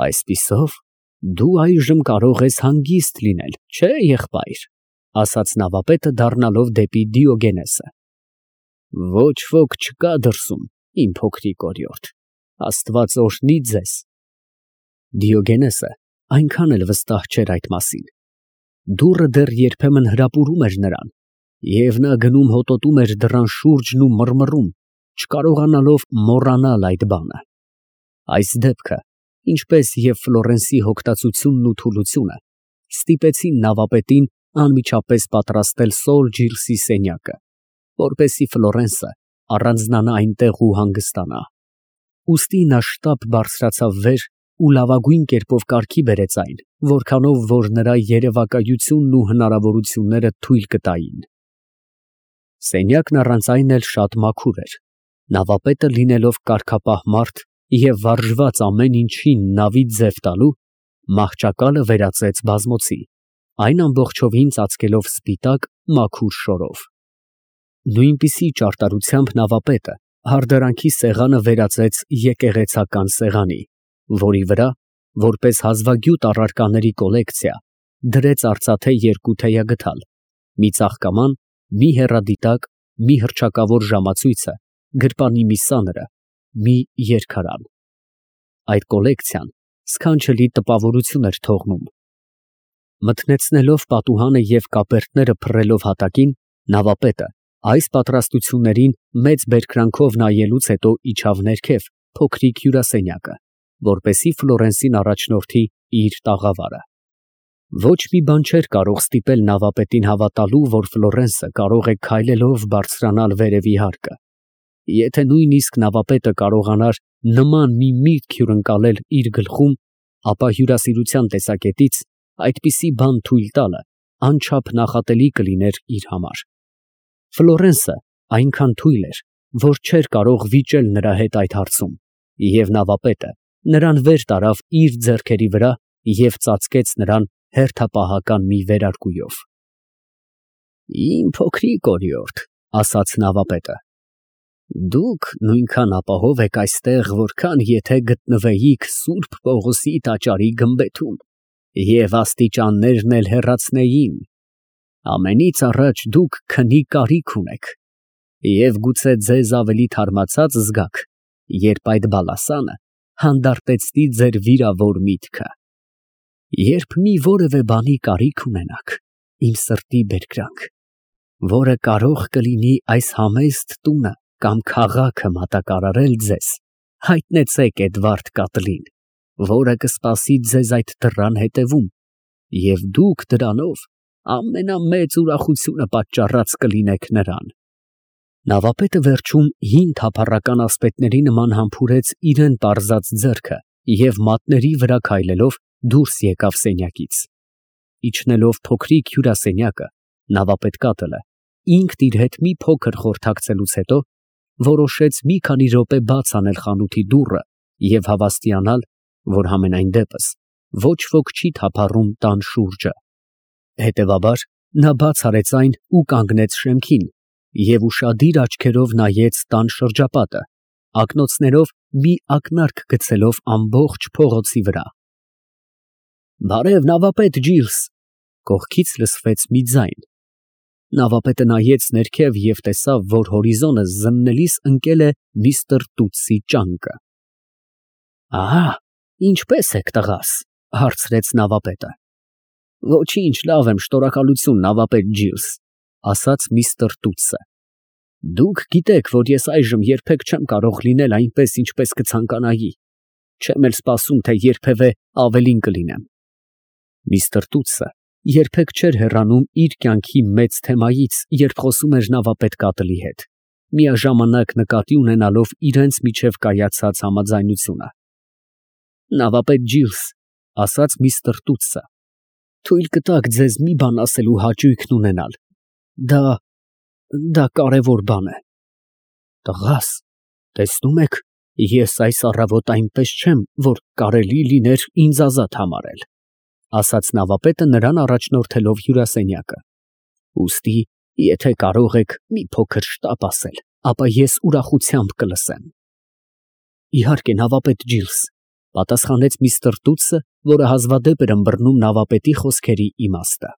Այսպիսով, դու այժմ կարող ես հանգիստ լինել, չէ՞, եղբայր, ասաց նավապետը դառնալով դեպի Դիոգենեսը։ Ոչ ոք չկա դրսում, իմ փոքրիկ օրիորդ, Աստված օրհնի ձեզ։ Դիոգենեսը այնքան էլ վստահ չէր այդ մասին։ Դուռը դեռ երբեմն հրապուրում էր նրան, և նա գնում հոտոտում էր դռան շուրջն ու մռմռում, չկարողանալով մոռանալ այդ բանը։ Այս դեպքը, ինչպես և Ֆլորենսի հոգտածությունն ու թուլությունը, ստիպեցին նավապետին անմիջապես պատրաստել Սոր Ջիլսի սենյակը, որպեսզի Ֆլորենսը առանձնանա այնտեղ ու հանգստանա։ Ուստի նա շտապ բարձրացավ վեր ու լավագույն կերպով կարգի բերեց այն, որքանով որ նրա երևակայությունն ու հնարավորությունները թույլ կտային։ Սենյակն առանց այն էլ շատ մաքուր էր։ Նավապետը լինելով կարգապահ մարդ և վարժված ամեն ինչին նավի ձև տալու, մահճակալը վերածեց բազմոցի, այն ամբողջովին ծածկելով սպիտակ, մաքուր շորով։ Նույնպիսի ճարտարությամբ նավապետը հարդարանքի սեղանը վերածեց եկեղեցական սեղանի, որի վրա, որպես հազվագյուտ առարկաների կոլեկցիա, դրեց արծաթե երկու թեյագդալ, մի ծաղկաման, մի հեռադիտակ, մի հռչակավոր ժամացույցը, գրպանի մի սաները, մի երգարան։ Այդ կոլեկցիան սքանչելի տպավորություն էր թողնում։ Մթնեցնելով պատուհանը և կապերտները փռելով հատակին, նավապետը այս պատրաստություններին մեծ բերկրանքով նայելուց հետո իջավ ներքև փոքրիկ հյուրասենյակը, որպեսզի Ֆլորենսին առաջնորդի իր տաղավարը։ Ոչ մի բան չէր կարող ստիպել նավապետին հավատալու, որ Ֆլորենսը կարող է քայլելով բարձրանալ վերևի հարկը։ Եթե նույնիսկ նավապետը կարողանար նման մի միտք հյուրընկալել իր գլխում, ապա հյուրասիրության տեսակետից այդպիսի բան թույլ տալը անչափ նախատելի կլիներ իր համար։ Ֆլորենսը այնքան թույլ էր, որ չէր կարող վիճել նրա հետ այդ հարցում, և նավապետը նրան վեր տարավ իր ձեռքերի վրա և ծածկեց նրան հերթապահական մի վերարկուով։ Իմ փոքրիկ օրիորդ, ասաց նավապետը, դուք նույնքան ապահով եք այստեղ, որքան եթե գտնվեիք Սուրբ Պողոսի տաճարի գմբեթում, և աստիճաններն էլ հեռացնեին։ Ամենից առաջ դուք քնի կարիք ունեք, և գուցե ձեզ ավելի թարմացած զգաք, երբ այդ բալասանը հանդարտեցնի ձեր վիրավոր միտքը։ Երբ մի որևէ բանի կարիք ունենաք, իմ սրտի բերկրանք, որը կարող կլինի այս համեստ տունը կամ քաղաքը մատակարարել ձեզ, հայտնեցեք Էդվարդ Կատլին, որը կսպասի ձեզ այդ դռան հետևում, և դուք դրանով ամենամեծ ուրախությունը պատճառած կլինեք նրան։ Նավապետը վերջում հին թափառական ասպետների նման համբուրեց իրան պարզած ձեռքը և մատների վրա քայլելով դուրս եկավ սենյակից։ Իջնելով փոքրիկ հյուրասենյակը, նավապետ Կատլը ինքն իր հետ մի փոքր խորհրդակցելուց հետո որոշեց մի քանի րոպե բաց անել խանութի դուռը և հավաստիանալ, որ համենայն դեպս ոչ ոք չի թափառում տան շուրջը։ Հետևաբար նա բաց արեց այն ու կանգնեց շեմքին և ուշադիր աչքերով նայեց տան շրջապատը, ակնոցներով մի ակնարկ գցելով ամբողջ փողոցի վրա։ Բարև, նավապետ Ջիլս, կողքից լսվեց մի ձայն։ Նավապետը նայեց ներքև և տեսավ, որ հորիզոնը զննելիս ընկել է միստր Տուտսի ճանկը։ Ահա, ինչպե՞ս եք, տղաս, հարցրեց նավապետը։ Ոչինչ, լավ եմ, շնորհակալություն, նավապետ Ջիլս, ասաց միստր Տուտսը։ Դուք գիտեք, որ ես այժմ երբեք չեմ կարող լինել այնպես, ինչպես կցանկանայի, չեմ էլ սպասում, թե երբևէ ավելին կլինեմ։ Միստր Տուտսը երբեք չէր հեռանում իր կյանքի մեծ թեմայից, երբ խոսում էր նավապետ Կատլի հետ, միաժամանակ նկատի ունենալով իրենց միջև կայացած համաձայնությունը։ Նավապետ Ջիլս, ասաց միստր Տուտսը, թույլ կտաք ձեզ մի բան ասելու հաճույքն ունենալ։ Դա կարևոր բան է։ Տղաս, տեսնում եք, ես այս առավոտ այնպես չեմ, որ կարելի լիներ ինձ ազատ համարել, ասաց նավապետը նրան առաջնորդելով հյուրասենյակը։ Ուստի, եթե կարող եք մի փոքր շտապ ասել, ապա ես ուրախությամբ կլսեմ։ Իհարկե, նավապետ Ջիլս, Պատասխանեց միստր Տուտսը, որը հազվադեպ էր ըմբռնում նավապետի խոսքերի իմաստը։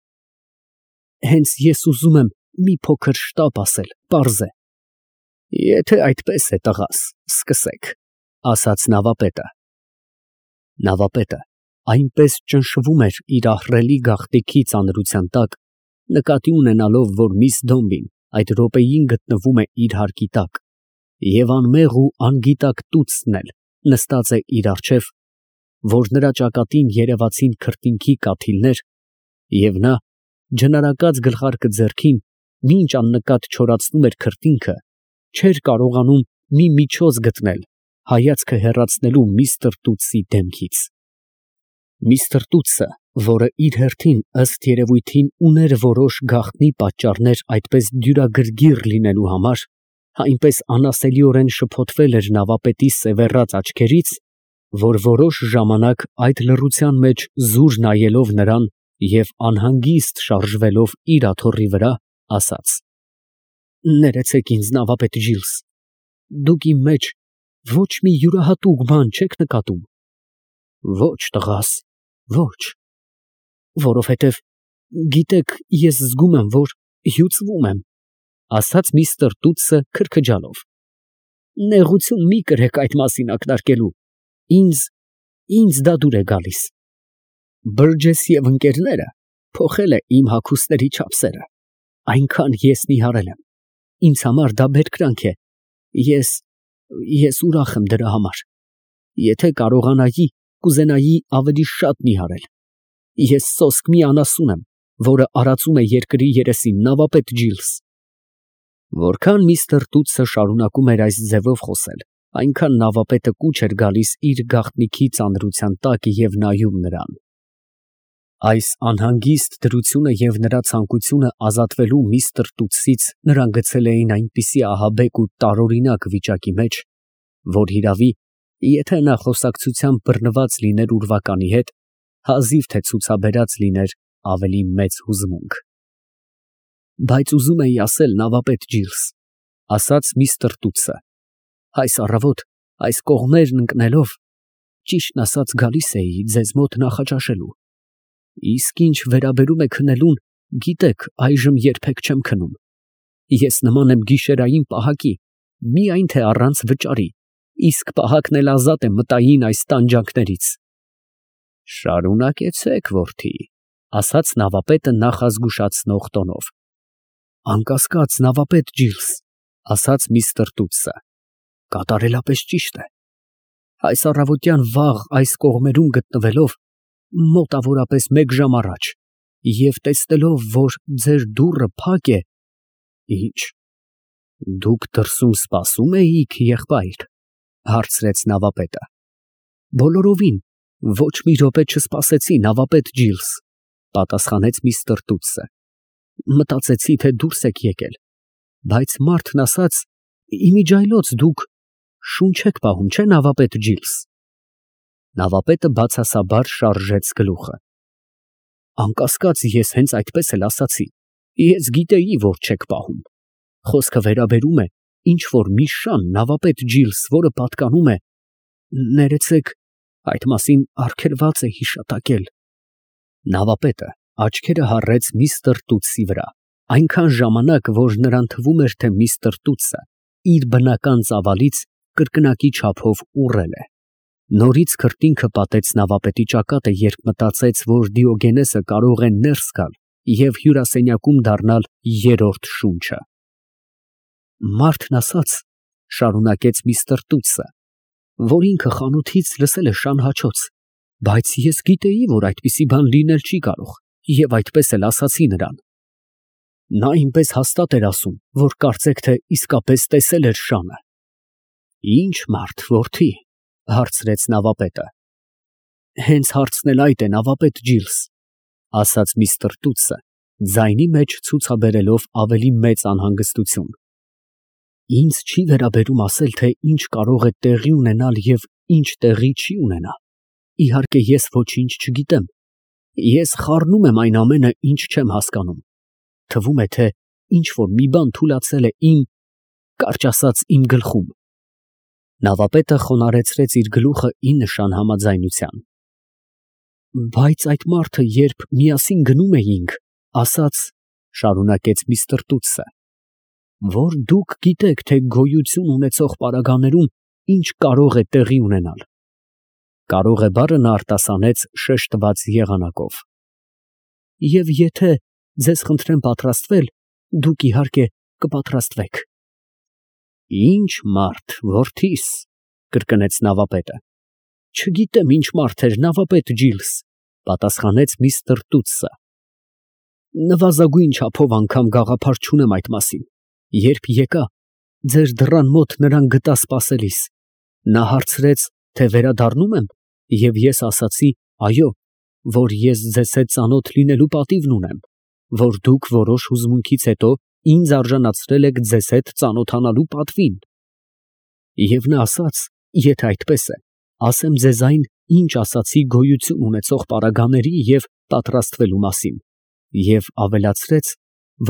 Հենց ես ուզում եմ մի փոքր շտապ ասել, պարզ է։ Եթե այդպես է, տղաս, սկսեք, ասաց նավապետը։ Նավապետը այնպես ճնշվում էր իր ահռելի գաղտնիքի ծանրության տակ, նկատի ունենալով, որ միս Դոմբին այդ րոպեին գտնվում է իր հարկի տակ, և անմեղ ու անգիտակ Տուտսն էլ նստած է իր առջև, որ նրա ճակատին երևացին քրտինքի կաթիլներ, և նա, ջնարակած գլխարկը ձեռքին, մինչ աննկատ չորացնում էր քրտինքը, չէր կարողանում մի միջոց գտնել հայացքը հեռացնելու միստր Տուտսի դեմքից։ Միստր Տուտսը, որը իր հերթին ըստ երևույթին ուներ որոշ գաղտնի պատճառներ այդպես դյուրագրգիռ լինելու համար, այնպես անասելիորեն շփոթվել էր նավապետի սևեռած աչքերից, որ որոշ ժամանակ այդ լռության մեջ զուր նայելով նրան և անհանգիստ շարժվելով իր աթոռի վրա, ասաց. «Ներեցեք ինձ, նավապետ Ջիլս, դուք իմ մեջ ոչ մի յուրահատուկ բան չեք նկատում»։ Ոչ, տղաս, ոչ, որովհետև գիտեք, ես զգում եմ, որ հյուծվում եմ, ասաց միստր Տուտսը քրքջալով։ Նեղություն մի կրեք այդ մասին ակնարկելու, ինձ դա դուր է գալիս։ Բըրջես և ընկերները փոխել է իմ հագուստների չափսերը, այնքան ես նիհարել եմ, ինձ համար դա բերկրանք է, ես ուրախ եմ դրա համար, եթե կարողանայի, կուզենայի ավելի շատ նիհարել, ես սոսկ մի անասուն եմ, որը արածում է երկրի երեսին, նավապետ Ջիլս։ Որքան միստր Տուտսը շարունակում էր այս ձևով խոսել, այնքան նավապետը կուչ էր գալիս իր գաղտնիքի ծանրության տակ և նայում նրան։ Այս անհանգիստ դրությունը և նրա ցանկությունը ազատվելու միստր Տուտսից նրան գցել էին այնպիսի ահաբեկ ու տարօրինակ վիճակի մեջ, որ հիրավի, եթե նա խոսակցությամբ բռնված լիներ ուրվականի հետ, հազիվ թե ցուցաբերած լիներ ավելի մեծ հուզմունք։ Բայց ուզում էի ասել, նավապետ Ջիլս, ասաց միստր Տուտսը, այս առավոտ այս կողմերն ընկնելով, ճիշտն ասած գալիս էի ձեզ մոտ նախաճաշելու, իսկ ինչ վերաբերում է քնելուն, գիտեք, այժմ երբեք չեմ քնում, ես նման եմ գիշերային պահակի, միայն թե առանց վճարի, իսկ պահակն էլ ազատ է մտային այս տանջանքներից։ Շարունակեցեք, որդի, ասաց նավապետը նախազգուշացնող տոնով։ Անկասկած, նավապետ Ջիլս, ասաց միստր Տուտսը, կատարելապես ճիշտ է։ Այս առավոտյան վաղ այս կողմերում գտնվելով, մոտավորապես 1 ժամ առաջ, և տեսնելով, որ ձեր դուռը փակ է, Ինչ, դուք դրսում սպասում էիք, եղբայր, հարցրեց նավապետը։ Բոլորովին, ոչ մի րոպե չսպասեցի, նավապետ Ջիլս, պատասխանեց միստր Տուտսը։ Մտածեցի, թե դուրս եք եկել, բայց մարդն ասաց, իմիջիայլոց դուք շունչ եք պահում, չէ՞, նավապետ Ջիլս։ Նավապետը բացասաբար շարժեց գլուխը։ Անկասկած, ես հենց այդպես էլ ասացի, ես գիտեի, որ չեք պահում։ Խոսքը վերաբերում է ինչ որ մի շան, նավապետ Ջիլս, որը պատկանում է, ներեցեք, այդ մասին արգելված է հիշատակել։ Նավապետը աչքերը հառեց միստր Տուտսի վրա, այնքան ժամանակ, որ նրան թվում էր, թե միստր Տուտսը իր բնական ծավալից կրկնակի չափով ուռել է։ Նորից քրտինքը պատեց նավապետի ճակատը, երբ մտածեց, որ Դիոգենեսը կարող է ներս գալ և հյուրասենյակում դառնալ երրորդ շունչը։ Մարդն ասաց, շարունակեց միստր Տուտսը, որ ինքը խանութից լսել է շանհաչոց, բայց ես գիտեի, որ այդպիսի բան լինել չի կարող, և այդպես էլ ասացի նրան։ Նա ինպես հաստատ էր ասում, որ կարծեք, թե իսկապես տեսել էր շանը։ Ինչ մարդ, որդի, հարցրեց նավապետը։ Հենց հարցն էլ այդ է, նավապետ Ջիլս, ասաց միստր Տուտսը, ձայնի մեջ ցուցաբերելով ավելի մեծ անհանգստություն։ Ինձ չի վերաբերում ասել, թե ինչ կարող է տեղի ունենալ և ինչ տեղի չի ունենա։ Իհարկե, ես ոչինչ չգիտեմ։ Ես խառնում եմ այն ամենը, ինչ չեմ հասկանում։ Թվում է, թե ինչ որ մի բան թուլացել է կարճ ասած, իմ գլխում։ Նավապետը խոնարհեցրեց իր գլուխը ի նշան համաձայնության։ Բայց այդ մարդը, երբ միասին գնում էինք, ասաց, շարունակեց միստր Տուտսը, որ դուք գիտեք, թե գոյություն ունեցող պարագաներում ինչ կարող է տեղի ունենալ։ Կարող է բառը նա արտասանեց շեշտված եղանակով։ Եվ եթե ձեզ խնդրեմ պատրաստվել, դուք իհարկե կպատրաստվեք։ Ինչ մարդ, որդիս, կրկնեց նավապետը։ Չգիտեմ ինչ մարդ էր, նավապետ Ջիլս, պատասխանեց միստր Տուտսը։ Նվազագույն չափով անգամ գաղափար չունեմ այդ մասին։ Երբ եկա, ձեր դռան մոտ նրան գտա սպասելիս։ Նա հարցրեց, թե վերադառնում եմ, և ես ասացի, այո, որ ես ձեզ հետ ծանոթ լինելու պատիվն ունեմ, որ դուք որոշ հուզմունքից հետո ինձ արժանացրել եք ձեզ հետ ծանոթանալու պատվին։ Եվ նա ասաց, եթե այդպես է, ասեմ ձեզ այն, ինչ ասացի գոյություն ունեցող պարագաների և պատրաստվելու մասին, և ավելացրեց,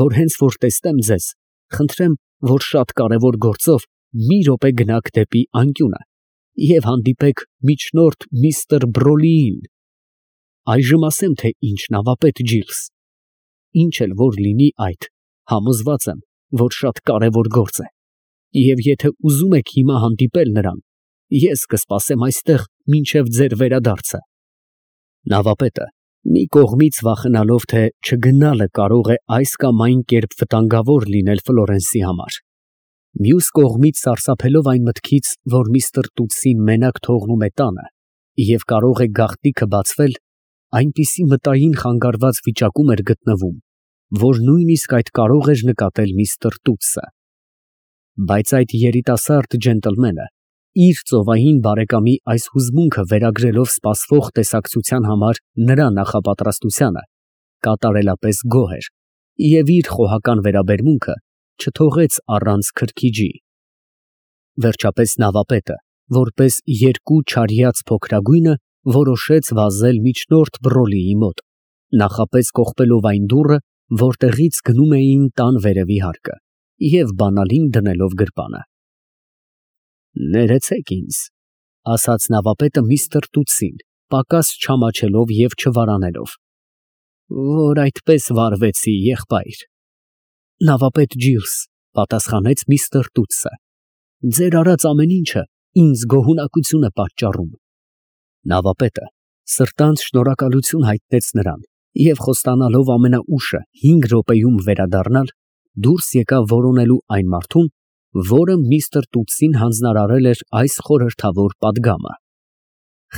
որ հենց որ տեսնեմ ձեզ, խնդրեմ, որ շատ կարևոր գործով մի րոպե գնաք դեպի անկյունը և հանդիպեք միջնորդ միստր Բրոլիին։ Այժմ ասեմ, թե ինչ, նավապետ Ջիլս, ինչ էլ որ լինի այդ, համոզված եմ, որ շատ կարևոր գործ է, և եթե ուզում եք հիմա հանդիպել նրան, ես կսպասեմ այստեղ մինչև ձեր վերադարձը։ Նավապետը, մի կողմից վախենալով, թե չգնալը կարող է այս կամ այն կերպ վտանգավոր լինել Ֆլորենսի համար, մյուս կողմից սարսափելով այն մտքից, որ միստր Տուտսին մենակ թողնում է տանը և կարող է գաղտնիքը բացվել, այնպիսի մտային խանգարված վիճակում էր գտնվում, որ նույնիսկ այդ կարող էր նկատել միստր Տուտսը։ Բայց այդ երիտասարդ ջենտլմենը, իր ծովային բարեկամի այս հուզմունքը վերագրելով սպասվող տեսակցության համար նրա նախապատրաստությանը, կատարելապես գոհ էր և իր խոհական վերաբերմունքը չթողեց առանց քրքիջի։ Վերջապես նավապետը, որպես երկու չարյաց փոքրագույնը, որոշեց վազել միջնորդ Բրոլիի մոտ, նախապես կողպելով այն դուռը, որտեղից գնում էին տան վերևի հարկը, և բանալին դնելով գրպանը։ Ներեցեք ինձ, ասաց նավապետը միստր Տուտսին, պակաս չամաչելով և չվարանելով, որ այդպես վարվեցի, եղբայր։ Նավապետ Ջիլս, պատասխանեց միստր Տուտսը, ձեր արած ամեն ինչը ինձ գոհունակություն է պատճառում։ Նավապետը սրտանց շնորհակալություն հայտնեց նրան և խոստանալով ամենաուշը 5 րոպեում վերադառնալ, դուրս եկավ որոնելու այն մարդուն, որը միստր Տուտսին հանձնարարել էր այս խորհրդավոր պատգամը։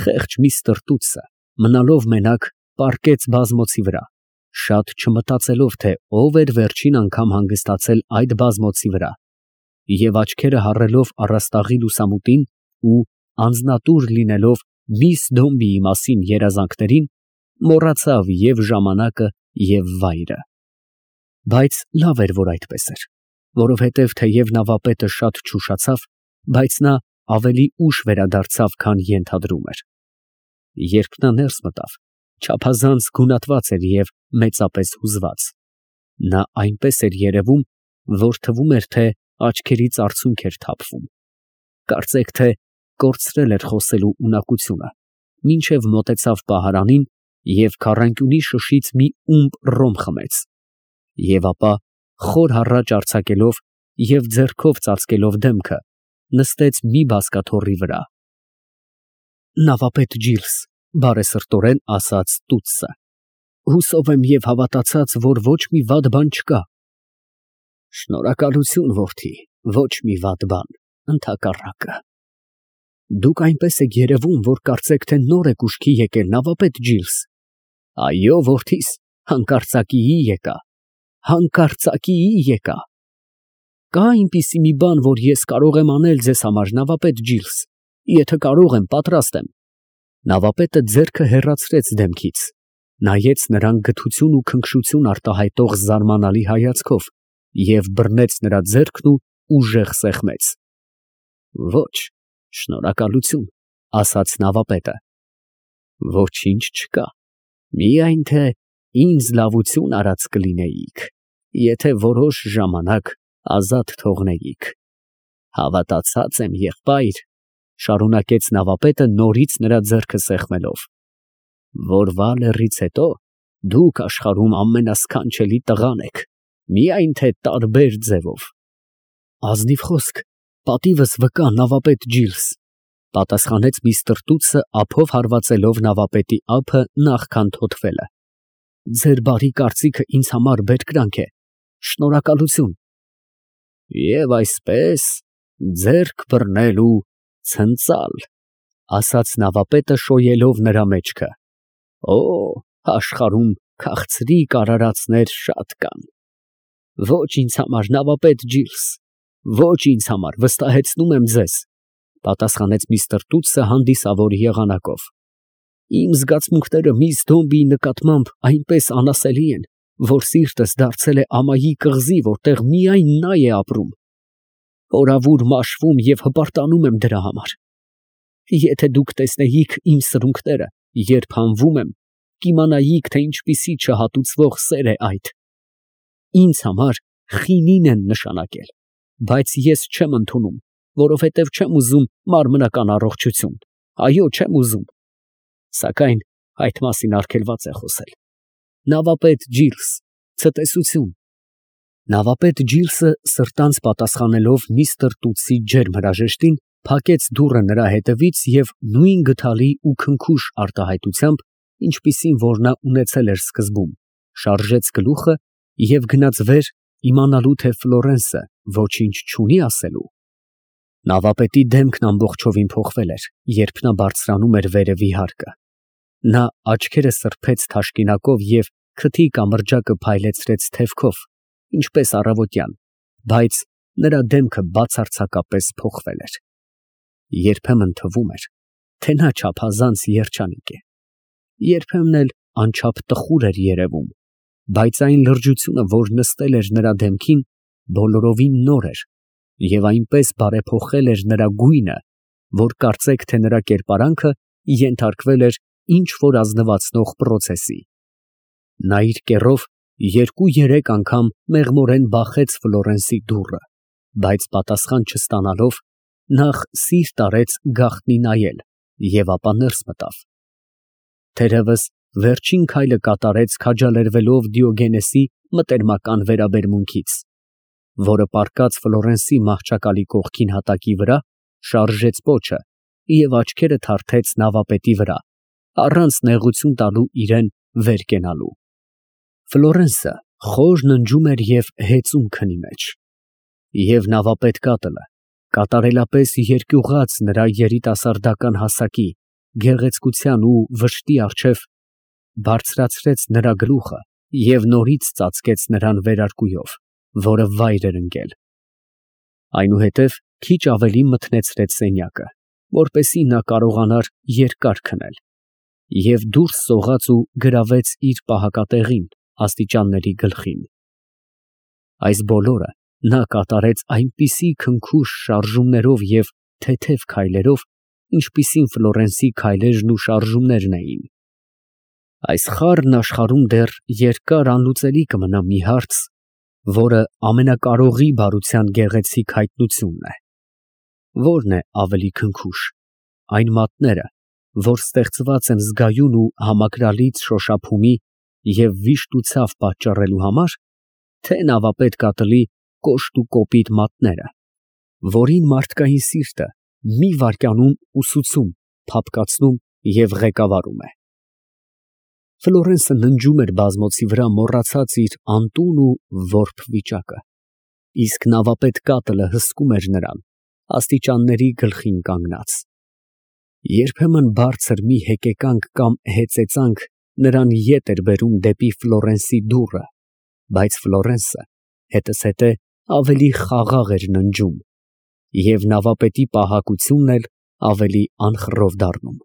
Խեղճ միստր Տուտսը, մնալով մենակ, պառկեց բազմոցի վրա, շատ չմտածելով, թե ով էր վերջին անգամ հանգստացել այդ բազմոցի վրա, և աչքերը հառելով առաստաղի լուսամուտին ու անձնատուր լինելով միս Դոմբիի մասին երազանքներին, մոռացավ և ժամանակը, և վայրը։ Բայց լավ էր, որ այդպես էր, որովհետև թեև նավապետը շատ չուշացավ, բայց նա ավելի ուշ վերադարձավ, քան ենթադրում էր։ Երբ նա ներս մտավ, չափազանց գունատված էր և մեծապես հուզված։ Նա այնպես էր երևում, որ թվում էր, թե աչքերից արցունք էր թափվում։ Կարծեք թե կորցրել էր խոսելու ունակությունը, մինչև մոտեցավ պահարանին և քառանկյունի շշից մի ումպ ռոմ խմեց, և ապա խոր հառաչ արձակելով և ձեռքով ծածկելով դեմքը, նստեց մի բազկաթոռի վրա։ Նավապետ Ջիլս, բարեսրտորեն ասաց Տուտսը, հուսով եմ և հավատացած, որ ոչ մի վատ բան չկա։ Շնորհակալություն, որդի, ոչ մի վատ բան, ընդհակառակը։ Դուք այնպես եք երևում, որ կարծեք, թե նոր եք ուշքի եկել, նավապետ Ջիլս։ Այո, որդիս, հանկարծակիի եկա, հանկարծակիի եկա։ Կա այնպիսի մի բան, որ ես կարող եմ անել ձեզ համար, նավապետ Ջիլս, եթե կարող եմ, պատրաստ եմ։ Նավապետը ձեռքը հեռացրեց դեմքից, նայեց նրան գթություն ու քնքշություն արտահայտող զարմանալի հայացքով և բռնեց նրա ձեռքն ու ուժեղ սեղմեց։ Ոչ, շնորհակալություն, ասաց նավապետը։ Ոչինչ չկա, միայն թե ինձ լավություն արած կլինեիք, եթե որոշ ժամանակ ազատ թողնեիք։ Հավատացած եմ, եղբայր, Շարունակեց նավապետը նորից նրա ձեռքը սեղմելով, որ Վալերից հետո դուք աշխարհում ամենասքանչելի տղան եք, միայն թե տարբեր ձևով։ Ազնիվ խոսք, պատիվս վկա նավապետ Ջիլս, պատասխանեց միստր Տուտսը ափով հարվածելով նավապետի ափը նախքան թոթվելը։ Ձեր բարի կարծիքը ինձ համար բերկրանք է, շնորհակալություն։ Եվ այսպես ձեռք բռնելու ցնծալ, ասաց նավապետը շոյելով նրա մեջքը։ Օ, աշխարհում քաղցրիկ արարածներ շատ կան։ Ոչ ինձ համար, նավապետ Ջիլս, ոչ ինձ համար, վստահեցնում եմ ձեզ, պատասխանեց միստր Տուտսը հանդիսավոր եղանակով։ Իմ զգացմունքները միս Դոմբիի նկատմամբ այնպես անասելի են, որ սիրտս դարձել է ամայի կղզի, որտեղ միայն նա է ապրում։ Օրավուր մաշվում և հպարտանում եմ դրա համար։ Եթե դուք տեսնեիք իմ սրունքները, երբ հանվում եմ, կիմանայիք, թե ինչպիսի չհատուցվող սեր է այդ։ Ինձ համար խինին են նշանակել, բայց ես չեմ ընդունում, որովհետև չեմ ուզում մարմնական առողջություն, այո, չեմ ուզում, սակայն այդ մասին արգելված է խոսել։ Նավապետ Ջիլս, ցտեսություն։ Նավապետ Ջիլսը սրտանց պատասխանելով միստր Տուտսի ջերմ հրաժեշտին, փակեց դուռը նրա հետևից և նույն գթալի ու քնքուշ արտահայտությամբ, ինչպիսին որ նա ունեցել էր սկզբում, շարժեց գլուխը և գնաց վեր, իմանալու թե Ֆլորենսը ոչինչ չունի ասելու։ Նավապետի դեմքն ամբողջովին փոխվել էր, երբ նա բարձրանում էր վերևի հարկը։ Նա աչքերը սրբեց թաշկինակով և քթի կամրջակը փայլեցրեց թևքով, ինչպես առավոտյան, բայց նրա դեմքը բացարձակապես փոխվել էր։ Երբեմն թվում էր, թե նա չափազանց երջանիկ է, երբեմն էլ անչափ տխուր էր երևում, բայց այն լրջությունը, որ նստել էր նրա դեմքին, բոլորովին նոր էր և այնպես բարեփոխել էր նրա գույնը, որ կարծեք, թե նրա կերպարանքը ենթարկվել էր ինչ որ ազնվացնող պրոցեսի։ Նա իր կեռով 2-3 անգամ մեղմորեն բախեց Ֆլորենսի դուռը, բայց պատասխան չստանալով, նախ սիրտ արեց գաղտնի նայել և ապա ներս մտավ։ Թերևս վերջին քայլը կատարեց քաջալերվելով Դիոգենեսի մտերմական վերաբերմունքից, որը պառկած Ֆլորենսի մահճակալի կողքին հատակի վրա, շարժեց պոչը և աչքերը թարթեց նավապետի վրա, առանց նեղություն տալու իրան վեր կենալու։ Ֆլորենսը խոր ննջում էր և հեծում քնի մեջ, և նավապետ կատլը կատարելապես երկյուղած նրա երիտասարդական հասակի, գեղեցկության ու վշտի առջև, բարձրացրեց նրա գլուխը և նորից ծածկեց նրան վերարկուով, որը վայր էր ընկել։ Այնուհետև քիչ ավելի մթնեցրեց սենյակը, որպեսզի նա կարողանար երկար քնել, և դուրս սողաց ու գրավեց իր պահակատեղին աստիճանների գլխին։ Այս բոլորը նա կատարեց այնպիսի քնքուշ շարժումներով և թեթև քայլերով, ինչպիսին Ֆլորենսի քայլերն ու շարժումներն էին։ Այս խառն աշխարհում դեռ երկար անլուծելի կմնա մի հարց, որը ամենակարողի բարության գեղեցիկ հայտնությունն է։ Ո՞րն է ավելի քնքուշ, այն մատները, որ ստեղծված են զգայուն ու համակրալից շոշափումի և վիշտ ու ցավ պատճառելու համար, թե նավապետ կատլի կոշտ ու կոպիտ մատները, որին մարդկային սիրտը մի վայրկյանում ուսուցում, փափկացնում և ղեկավարում է։ Ֆլորենսը ննջում էր բազմոցի վրա մոռացած իր անտուն ու որբ վիճակը, իսկ նավապետ կատլը հսկում էր նրան, աստիճանների գլխին կանգնած։ Երբեմն բարձր մի հեկեկանք կամ հեծեծանք նրան ետ էր բերում դեպի Ֆլորենսի դուռը, բայց Ֆլորենսը հետզհետե ավելի խաղաղ էր ննջում, և նավապետի պահակությունն էլ ավելի անխռով դառնում։